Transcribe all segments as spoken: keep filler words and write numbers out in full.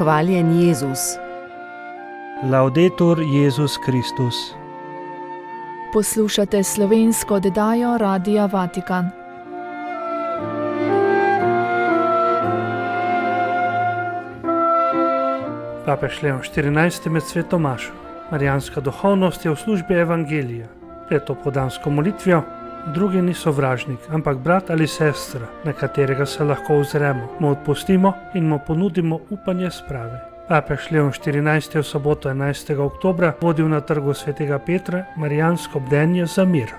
Hvaljen Jezus. Laudetur Jezus Kristus. Poslušate slovensko oddajo Radia Vatikan. Papež Leon štirinajsti med sveto mašo. Marijanska duhovnost je v službi evangelija. Pred opoldansko molitvijo drugi ni sovražnik, ampak brat ali sestra, na katerega se lahko ozremo, mu odpustimo in mu ponudimo upanje sprave. Papež Leon štirinajsti v soboto enajstega oktobra vodil na trgu svetega Petra marijansko bdenje za mir.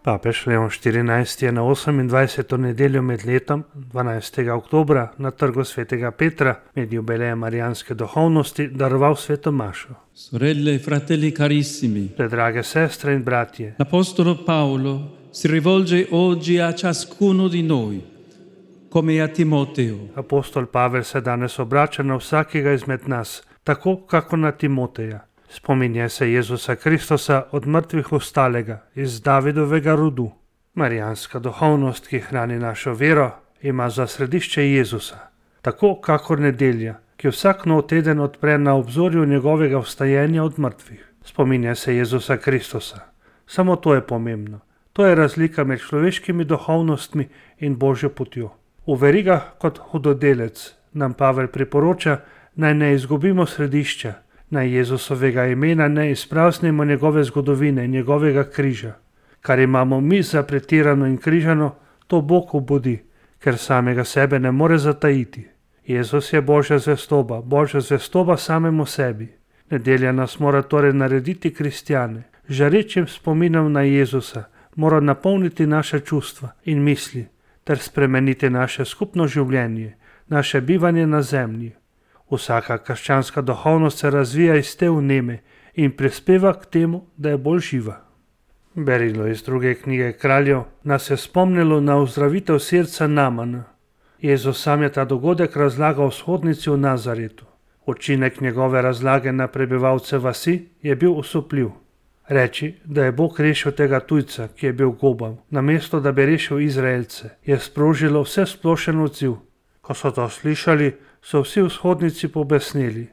Papež Leon štirinajsti je na osemindvajseto nedeljo med letom, dvanajstega oktobra, na trgu svetega Petra med jubilejem marijanske duhovnosti daroval sveto mašo. Sorelle e fratelli carissimi, Predrage sestre in bratje, l'Apostolo Paolo si rivolge oggi a ciascuno di noi, come a Timoteo. apostol Pavel se danes obrača na vsakega izmed nas, tako kako na Timoteja. Spominja se Jezusa Kristusa od mrtvih vstalega iz Davidovega rodu. Marijanska duhovnost, ki hrani našo vero, ima za središče Jezusa, tako kakor nedelja, ki vsak nov teden odpre na obzorju njegovega vstajenja od mrtvih. Spominja se Jezusa Kristusa. Samo to je pomembno. To je razlika med človeškimi duhovnostmi in Božjo potjo. V verigah kot hudodelec nam Pavel priporoča, naj ne izgubimo središča, naj Jezusovega imena ne izpraznimo njegove zgodovine in njegovega križa. Kar imamo mi za pretirano in križano, to Bog obudi, ker samega sebe ne more zatajiti. Jezus je Božja zvestoba, Božja zvestoba samemu sebi. Nedelja nas mora torej narediti kristjane. Žarečim spominom na Jezusa mora napolniti naše čustva in misli ter spremeniti naše skupno življenje, naše bivanje na zemlji. Vsaka krščanska duhovnost se razvija iz te vneme in prispeva k temu, da je bolj živa. Berilo iz druge knjige Kraljev nas je spomnilo na ozdravitev srca Namana. Jezus sam je ta dogodek razlagal v shodnici v Nazaretu. Učinek njegove razlage na prebivalce vasi je bil osupljiv. Reči, da je Bog rešil tega tujca, ki je bil gobav, namesto da bi rešil Izraelce, je sprožilo vse splošen odziv. Ko so to slišali, so vsi v shodnici pobesneli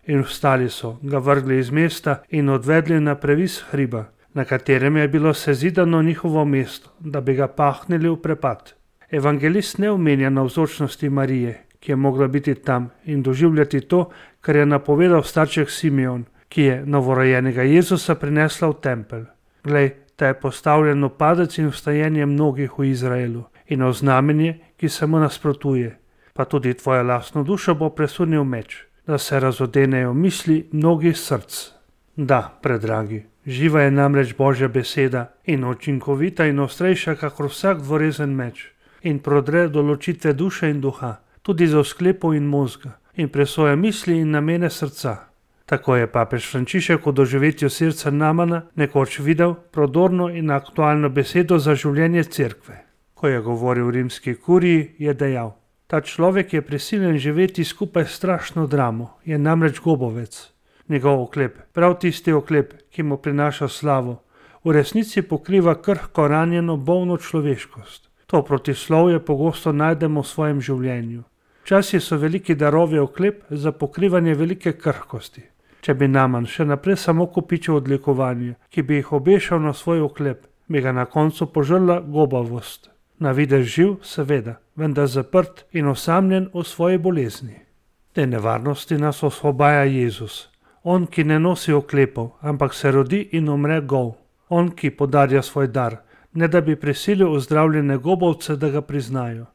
in vstali so, ga vrgli iz mesta in odvedli na previs hriba, na katerem je bilo sezidano njihovo mesto, da bi ga pahnili v prepad. Evangelist ne omenja navzočnosti Marije, ki je mogla biti tam in doživljati to, kar je napovedal starček Simeon, ki je novorojenega Jezusa prinesla v tempelj. Glej, ta je postavljen v padec in vstajenje mnogih v Izraelu in v znamenje, ki se mu nasprotuje. Pa tudi tvoja lastno dušo bo presunil meč, da se razodenejo misli mnogih src. Da, predragi, živa je namreč Božja beseda in učinkovita in ostrejša kakor vsak dvorezen meč in prodre do ločitve duše in duha, tudi za sklepov in možga in presoja misli in namene srca. Tako je papež Frančišek v doživetju srca Namana nekoč videl prodorno in aktualno besedo za življenje cerkve. Ko je govoril v rimski kuriji, je dejal: ta človek je prisiljen živeti skupaj s strašno dramo, je namreč gobovec. Njegov oklep, prav tisti oklep, ki mu prinaša slavo, v resnici pokriva krhko ranjeno bolno človeškost. To protislovje pogosto najdemo v svojem življenju. Včasih so veliki darovi oklep za pokrivanje velike krhkosti. Če bi Naman še naprej samo kopičil odlikovanje, ki bi jih obešal na svoj oklep, bi ga na koncu požrla gobavost. Na videz živ, seveda, vendar zaprt in osamljen v svoji bolezni. Te nevarnosti nas osvobaja Jezus. On, ki ne nosi oklepov, ampak se rodi in umre gol. On, ki podarja svoj dar, ne da bi prisilil ozdravljene gobovce, da ga priznajo.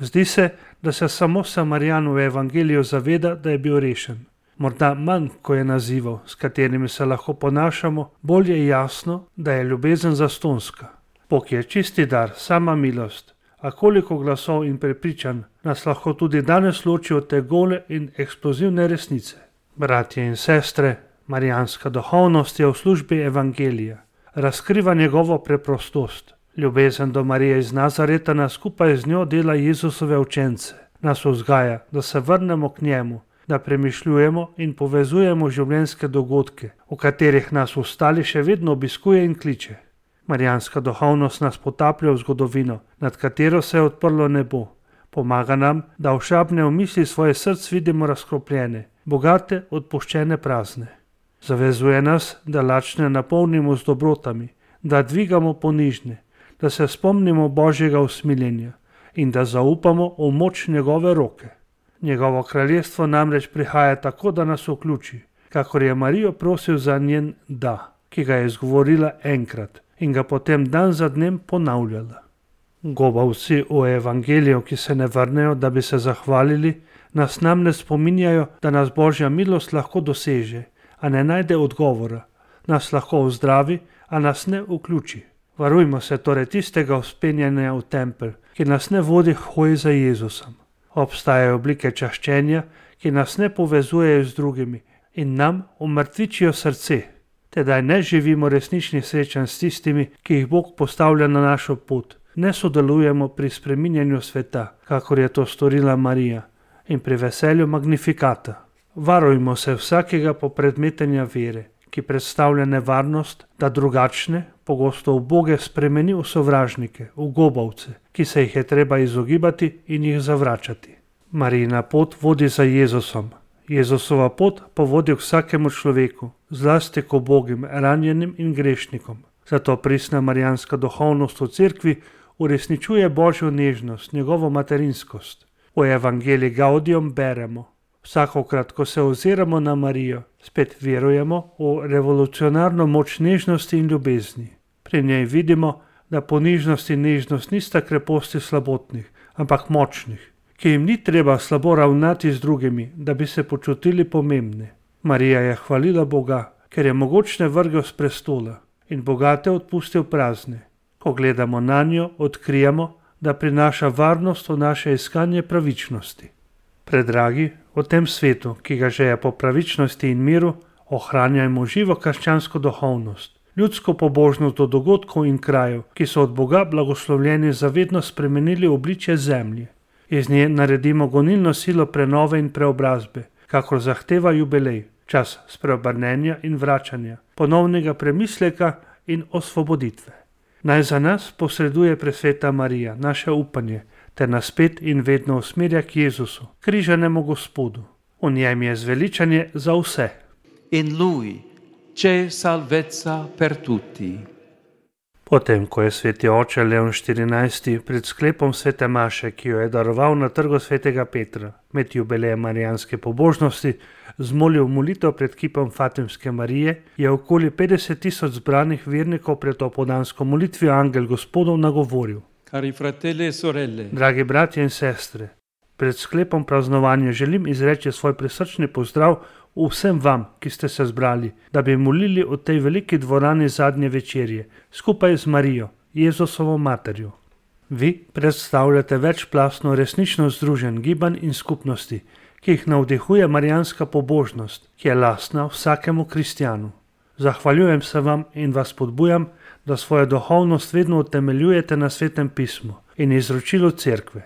Zdi se, da se samo Samarijan v evangeliju zaveda, da je bil rešen. Morda manj, ko je nazivov, s katerimi se lahko ponašamo, bolj je jasno, da je ljubezen zastonska. Bog je čisti dar, sama milost, a koliko glasov in prepričanj nas lahko tudi danes loči od te gole in eksplozivne resnice. Bratje in sestre, marijanska duhovnost je v službi evangelija. Razkriva njegovo preprostost. Ljubezen do Marije iz Nazareta nas skupaj z njo dela Jezusove učence. Nas vzgaja, da se vrnemo k njemu, da premišljujemo in povezujemo življenjske dogodke, v katerih nas ostali še vedno obiskuje in kliče. Marijanska duhovnost nas potaplja v zgodovino, nad katero se je odprlo nebo. Pomaga nam, da ošabne v misli svoje srce vidimo razkropljene, bogate, odpuščene, prazne. Zavezuje nas, da lačne napolnimo z dobrotami, da dvigamo ponižne, da se spomnimo Božjega usmiljenja in da zaupamo v moč njegove roke. Njegovo kraljestvo namreč prihaja tako, da nas vključi, kakor je Marijo prosil za njen da, ki ga je izgovorila enkrat in ga potem dan za dnem ponavljala. Gobavci v evangeliju, ki se ne vrnejo, da bi se zahvalili, nas namreč spominjajo, da nas Božja milost lahko doseže, a ne najde odgovora, nas lahko ozdravi, a nas ne vključi. Varujmo se torej tistega vzpenjanja v tempelj, ki nas ne vodi k hoji za Jezusom. Obstajajo oblike čaščenja, ki nas ne povezujejo z drugimi in nam umrtvičijo srce. Tedaj ne živimo resničnih srečanj s tistimi, ki jih Bog postavlja na našo pot. Ne sodelujemo pri spreminjanju sveta, kakor je to storila Marija, in pri veselju magnifikata. Varujmo se vsakega popredmetenja vere, ki predstavlja nevarnost, da drugačne, pogosto uboge, spremeni v sovražnike, v gobavce, ki se jih je treba izogibati in jih zavračati. Marijina pot vodi za Jezusom. Jezusova pot pa vodi k vsakemu človeku, zlasti k ubogim, ranjenim in grešnikom. Zato pristna marijanska duhovnost v cerkvi uresničuje Božjo nežnost, njegovo materinskost. V evangeliji Gaudium beremo: vsakokrat, ko se oziramo na Marijo, spet verujemo v revolucionarno moč nežnosti in ljubezni. Pri njej vidimo, da ponižnost in nežnost nista kreposti slabotnih, ampak močnih, ki jim ni treba slabo ravnati z drugimi, da bi se počutili pomembne. Marija je hvalila Boga, ker je mogočne vrgel s prestola in bogate odpustil prazne. Ko gledamo na njo, odkrijemo, da prinaša varnost v naše iskanje pravičnosti. Predragi, v tem svetu, ki ga žeje po pravičnosti in miru, ohranjajmo živo krščansko duhovnost, ljudsko pobožnost do dogodkov in krajev, ki so od Boga blagoslovljeni zavedno spremenili obličje zemlje. Iz nje naredimo gonilno silo prenove in preobrazbe, kakor zahteva jubilej, čas spreobrnenja in vračanja, ponovnega premisleka in osvoboditve. Naj za nas posreduje presveta Marija, naše upanje, ter nas spet in vedno usmerja k Jezusu, križanemu Gospodu. V njem je zveličanje za vse. In lui c'è salvezza per tutti. Potem, ko je sveti oče Leon štirinajsti pred sklepom svete maše, ki jo je daroval na trgu svetega Petra, med jubilejem marijanske pobožnosti, zmolil molitev pred kipom Fatimske Marije, je okoli petdeset tisoč zbranih vernikov pred opoldansko molitvijo Angel Gospodov nagovoril: Cari fratelli e sorelle, dragi bratje in sestre, pred sklepom praznovanja želim izreči svoj prisrčni pozdrav vsem vam, ki ste se zbrali, da bi molili v tej veliki dvorani zadnje večerje, skupaj z Marijo, Jezusovo materjo. Vi predstavljate večplastno resnično združen gibanj in skupnosti, ki jih navdihuje marijanska pobožnost, ki je lastna vsakemu kristjanu. Zahvaljujem se vam in vas podbujam, da svojo duhovnost vedno utemeljujete na Svetem pismu in izročilu cerkve.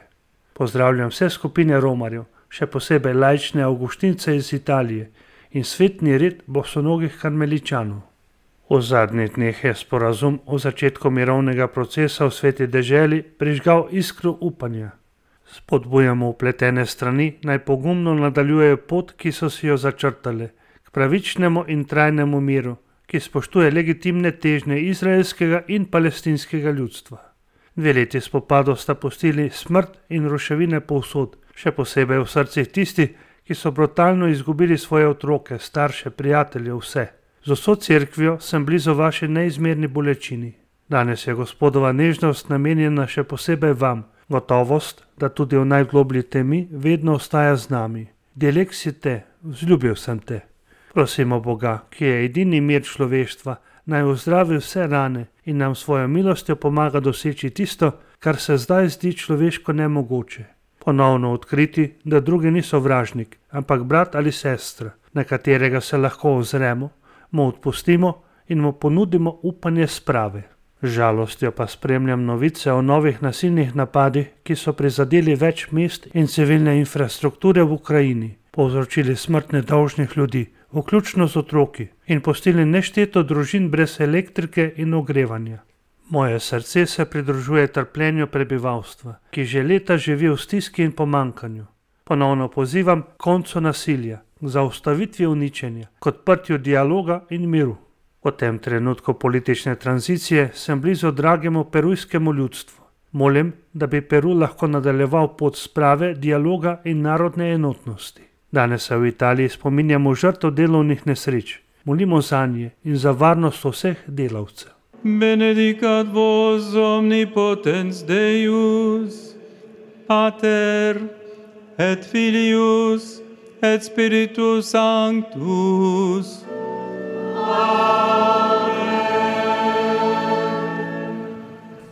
Pozdravljam vse skupine romarjev, še posebej laične avguštince iz Italije in svetni red bosonogih karmeličanov. V zadnjih dneh je sporazum o začetku mirovnega procesa v sveti deželi prižgal iskro upanja. Spodbujamo vpletene strani, naj pogumno nadaljujejo pot, ki so si jo začrtale, k pravičnemu in trajnemu miru, ki spoštuje legitimne težnje izraelskega in palestinskega ljudstva. Dve leti spopadov sta pustili smrt in ruševine povsod, še posebej v srcih tisti, ki so brutalno izgubili svoje otroke, starše, prijatelje, vse. Z vso cerkvijo sem blizu vaši neizmerni bolečini. Danes je Gospodova nežnost namenjena še posebej vam, gotovost, da tudi v najgloblji temi vedno ostaja z nami. Delek si te, vzljubil sem te. Prosimo Boga, ki je edini mir človeštva, naj ozdravi vse rane in nam svojo milostjo pomaga doseči tisto, kar se zdaj zdi človeško nemogoče. Ponovno odkriti, da drugi ni sovražnik, ampak brat ali sestra, na katerega se lahko ozremo, mu odpustimo in mu ponudimo upanje sprave. Z žalostjo pa spremljam novice o novih nasilnih napadih, ki so prizadeli več mest in civilne infrastrukture v Ukrajini, povzročili smrt nedolžnih ljudi, vključno z otroki, in pustili nešteto družin brez elektrike in ogrevanja. Moje srce se pridružuje trpljenju prebivalstva, ki že leta živi v stiski in pomankanju. Ponovno pozivam k koncu nasilja, k zaustavitvi uničenja, k odprtju dialoga in miru. V tem trenutku politične tranzicije sem blizu dragemu perujskemu ljudstvu. Molim, da bi Peru lahko nadaljeval pot sprave, dialoga in narodne enotnosti. Danes se v Italiji spominjamo žrtev delovnih nesreč. Molimo zanje in za varnost vseh delavcev. Benedicat vos omnipotens Deus, Pater et Filius et Spiritus Sanctus.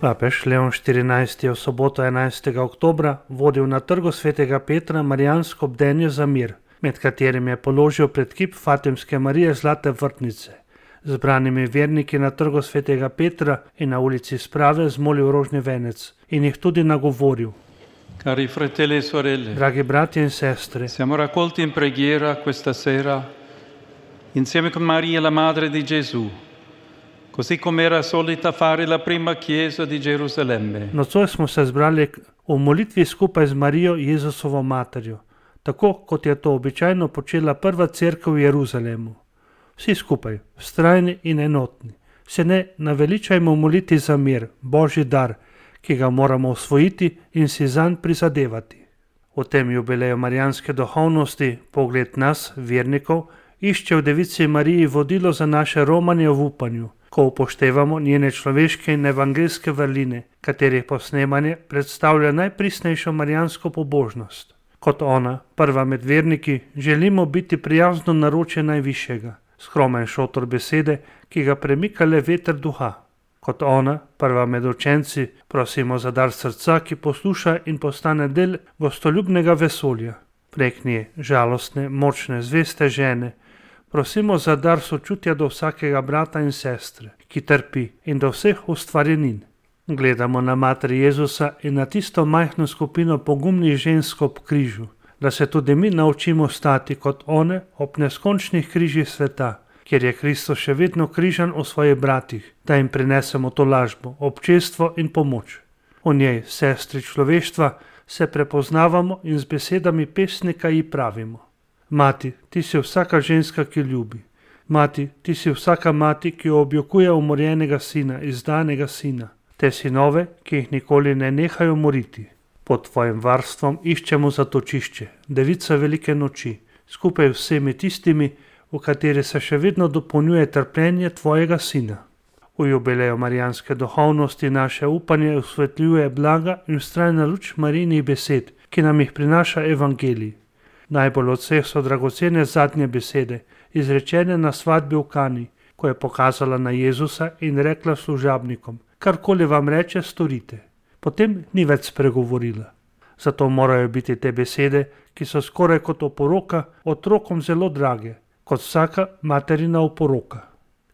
Papež Leon štirinajsti je v soboto enajstega oktobra vodil na trgu svetega Petra marijansko bdenje za mir, med katerim je položil pred kip Fatimske Marije Zlate vrtnice. Zbranimi verniki na trgu svetega Petra in na ulici Sprave zmolil rožni venec in jih tudi nagovoril. Cari fratelli e sorelle, Dragi bratje in sestre, siamo raccolti in preghiera questa sera insieme con Maria, la madre di Gesù, così come era solita fare la prima chiesa di Gerusalemme. Nocoj smo se zbrali v molitvi skupaj z Marijo, Jezusovo materjo, tako kot je to običajno počela prva cerkev v Jeruzalemu. Vsi skupaj, vztrajni in enotni, se ne naveličajmo moliti za mir, Božji dar, ki ga moramo osvojiti in si zanj prizadevati. V tem jubileju marijanske duhovnosti pogled nas, vernikov, išče v Devici Mariji vodilo za naše romanje v upanju, ko upoštevamo njene človeške in evangeljske vrline, katerih posnemanje predstavlja najpristnejšo marijansko pobožnost. Kot ona, prva med verniki, želimo biti prijazno naročje najvišjega, skromen šotor besede, ki ga premika le veter duha. Kot ona, prva med učenci, prosimo za dar srca, ki posluša in postane del gostoljubnega vesolja. Prek nje, žalostne, močne, zveste žene, prosimo za dar sočutja do vsakega brata in sestre, ki trpi, in do vseh ustvarjenin. Gledamo na mater Jezusa in na tisto majhno skupino pogumnih žensk ob križu, da se tudi mi naučimo stati kot one ob neskončnih križih sveta, kjer je Kristus še vedno križan v svojih bratih, da jim prinesemo tolažbo, občestvo in pomoč. V njej, sestri človeštva, se prepoznavamo in z besedami pesnika ji pravimo. Mati, ti si vsaka ženska, ki ljubi. Mati, ti si vsaka mati, ki objokuje umorjenega sina, izdanega sina. Te sinove, ki jih nikoli ne nehajo moriti. Pod tvojim varstvom iščemo zatočišče, devica velike noči, skupaj vsemi tistimi, v kateri se še vedno dopolnjuje trpljenje tvojega sina. V jubileju marijanske duhovnosti naše upanje osvetljuje blaga in vztrajna luč Marijinih besed, ki nam jih prinaša evangelij. Najbolj od vseh so dragocene zadnje besede, izrečene na svadbi v Kani, ko je pokazala na Jezusa in rekla služabnikom: karkoli vam reče, storite. Potem ni več spregovorila. Zato morajo biti te besede, ki so skoraj kot oporoka, otrokom zelo drage, kot vsaka materina oporoka.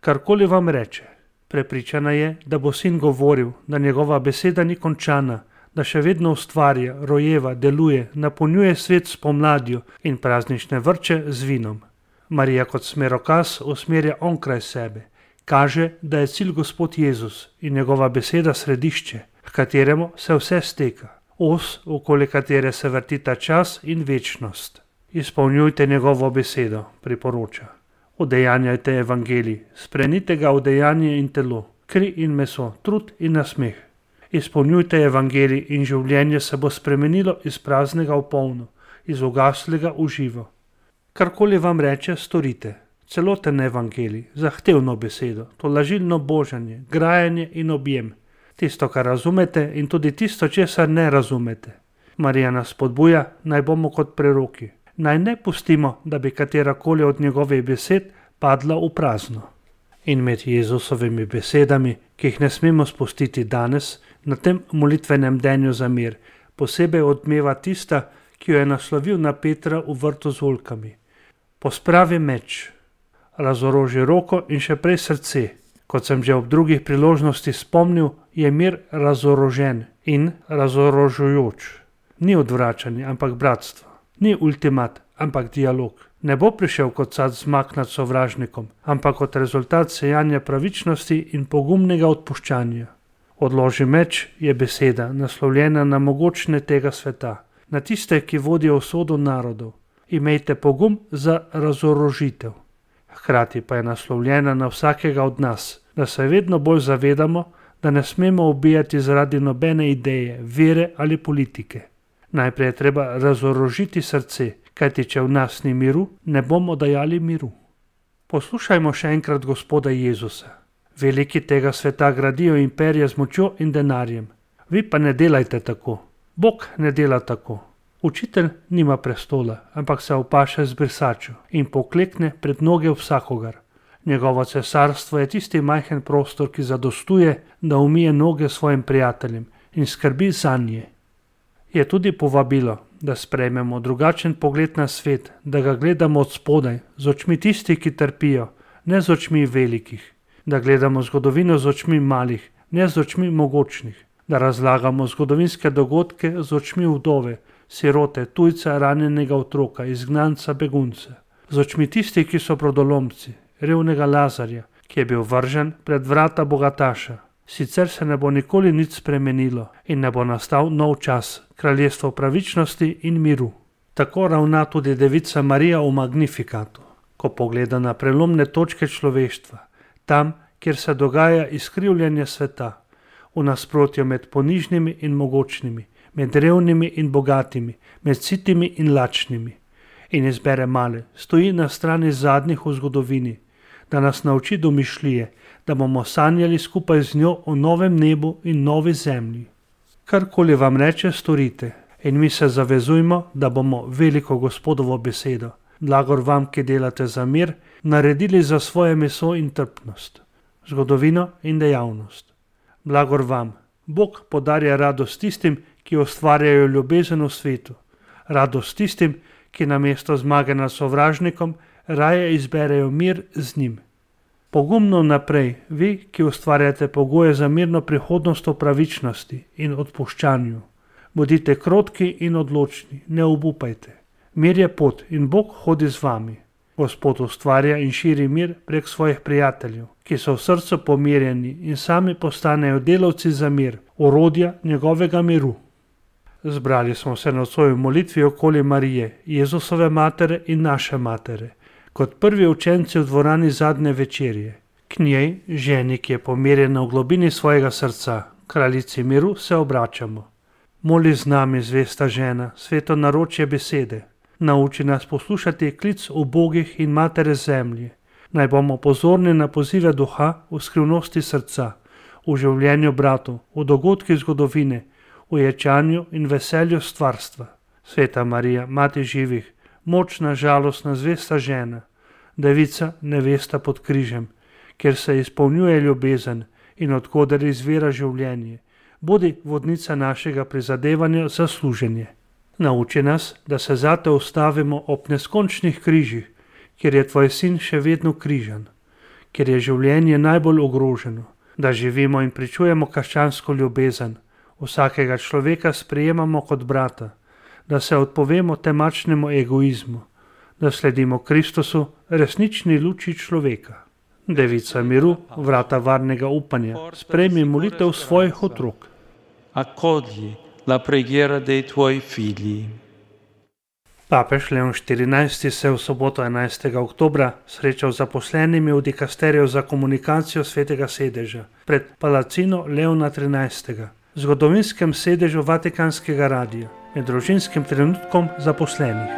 Karkoli vam reče. Prepričana je, da bo sin govoril, da njegova beseda ni končana, da še vedno ustvarja, rojeva, deluje, napolnjuje svet s pomladjo in praznične vrče z vinom. Marija kot smerokaz usmerja onkraj sebe, kaže, da je cilj Gospod Jezus in njegova beseda središče, v kateremu se vse steka, os, okoli katere se vrtita čas in večnost. Izpolnjujte njegovo besedo, priporoča. Udejanjajte evangelij, sprenite ga v dejanje in telo, kri in meso, trud in nasmeh. Izpolnjujte evangelij in življenje se bo spremenilo iz praznega v polno, iz ugaslega v živo. Karkoli vam reče, storite. Celoten evangelij, zahtevno besedo, tolažilno božanje, grajanje in objem. Tisto, kar razumete in tudi tisto, česar ne razumete. Marija nas spodbuja, naj bomo kot preroki. Naj ne pustimo, da bi katerakoli od njegovih besed padla v prazno. In med Jezusovimi besedami, ki jih ne smemo spustiti danes, na tem molitvenem denju za mir, posebej odmeva tista, ki jo je naslovil na Petra v vrtu z oljkami. Pospravi meč, razoroži roko in še prej srce. Kot sem že ob drugih priložnosti spomnil, je mir razorožen in razorožujoč. Ni odvračanje, ampak bratstvo. Ni ultimat, ampak dialog. Ne bo prišel kot sad zmag nad sovražnikom, ampak kot rezultat sejanja pravičnosti in pogumnega odpuščanja. Odloži meč je beseda, naslovljena na mogočne tega sveta, na tiste, ki vodijo usodo narodov. Imejte pogum za razorožitev. Hkrati pa je naslovljena na vsakega od nas, da se vedno bolj zavedamo, da ne smemo ubijati zaradi nobene ideje, vere ali politike. Najprej je treba razorožiti srce, kajti če v nas ni miru, ne bomo dajali miru. Poslušajmo še enkrat Gospoda Jezusa. Veliki tega sveta gradijo imperije z močjo in denarjem. Vi pa ne delajte tako. Bog ne dela tako. Učitelj nima prestola, ampak se opaše z brisačo in poklekne pred noge vsakogar. Njegovo cesarstvo je tisti majhen prostor, ki zadostuje, da umije noge svojim prijateljem in skrbi zanje. Je tudi povabilo, da sprejmemo drugačen pogled na svet, da ga gledamo od spodaj, z očmi tistih, ki trpijo, ne z očmi velikih, da gledamo zgodovino z očmi malih, ne z očmi mogočnih, da razlagamo zgodovinske dogodke z očmi vdove, sirote, tujca, ranjenega otroka, izgnanca, begunca, z očmi tistih, ki so brodolomci, revnega Lazarja, ki je bil vržen pred vrata bogataša. Sicer se ne bo nikoli nič spremenilo in ne bo nastal nov čas, kraljestvo pravičnosti in miru. Tako ravna tudi devica Marija v Magnifikatu, ko pogleda na prelomne točke človeštva, tam, kjer se dogaja izkrivljanje sveta, v nasprotju med ponižnimi in mogočnimi, med revnimi in bogatimi, med sitimi in lačnimi. In izbere male, stoji na strani zadnjih v zgodovini, da nas nauči domišljije, da bomo sanjali skupaj z njo o novem nebu in novi zemlji. Karkoli vam reče, storite, in mi se zavezujmo, da bomo veliko Gospodovo besedo, blagor vam, ki delate za mir, naredili za svoje meso in trpnost, zgodovino in dejavnost. Blagor vam, Bog podarja radost tistim, ki ustvarjajo ljubezen v svetu, radost tistim, ki namesto zmage nad sovražnikom raje izberejo mir z njim. Pogumno naprej, vi, ki ustvarjate pogoje za mirno prihodnost v pravičnosti in odpuščanju. Bodite krotki in odločni, ne obupajte. Mir je pot in Bog hodi z vami. Gospod ustvarja in širi mir prek svojih prijateljev, ki so v srcu pomirjeni in sami postanejo delavci za mir, orodja njegovega miru. Zbrali smo se nocoj v molitvi okoli Marije, Jezusove matere in naše matere, kot prvi učenci v dvorani zadnje večerje. K njej, ženi, ki je pomirjena v globini svojega srca, kraljici miru, se obračamo. Moli z nami, zvesta žena, sveto naročje besede. Nauči nas poslušati klic ubogih in matere zemlje. Naj bomo pozorni na pozive duha v skrivnosti srca, v življenju bratov, v dogodkih zgodovine, v ječanju in veselju stvarstva. Sveta Marija, mati živih, močna, žalostna, zvesta žena, devica, nevesta pod križem, kjer se izpolnjuje ljubezen in od koder izvira življenje, bodi vodnica našega prizadevanja za služenje. Nauči nas, da se zate ustavimo ob neskončnih križih, kjer je tvoj sin še vedno križan, kjer je življenje najbolj ogroženo, da živimo in pričujemo krščansko ljubezen, vsakega človeka sprejemamo kot brata, da se odpovemo temačnemu egoizmu, da sledimo Kristusu, resnični luči človeka. Devica miru, vrata varnega upanja, sprejmi molitev svojih otrok. Accogli la preghiera dei tuoi figli. Papež Leon štirinajsti se je v soboto enajstega oktobra srečal z zaposlenimi v dikasteriju za komunikacijo Svetega sedeža pred Palacino Leona trinajstega, zgodovinskem sedežu Vatikanskega radia, med družinskim trenutkom zaposlenih.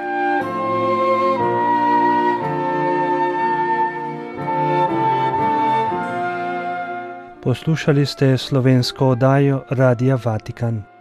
Poslušali ste slovensko oddajo Radia Vatikan.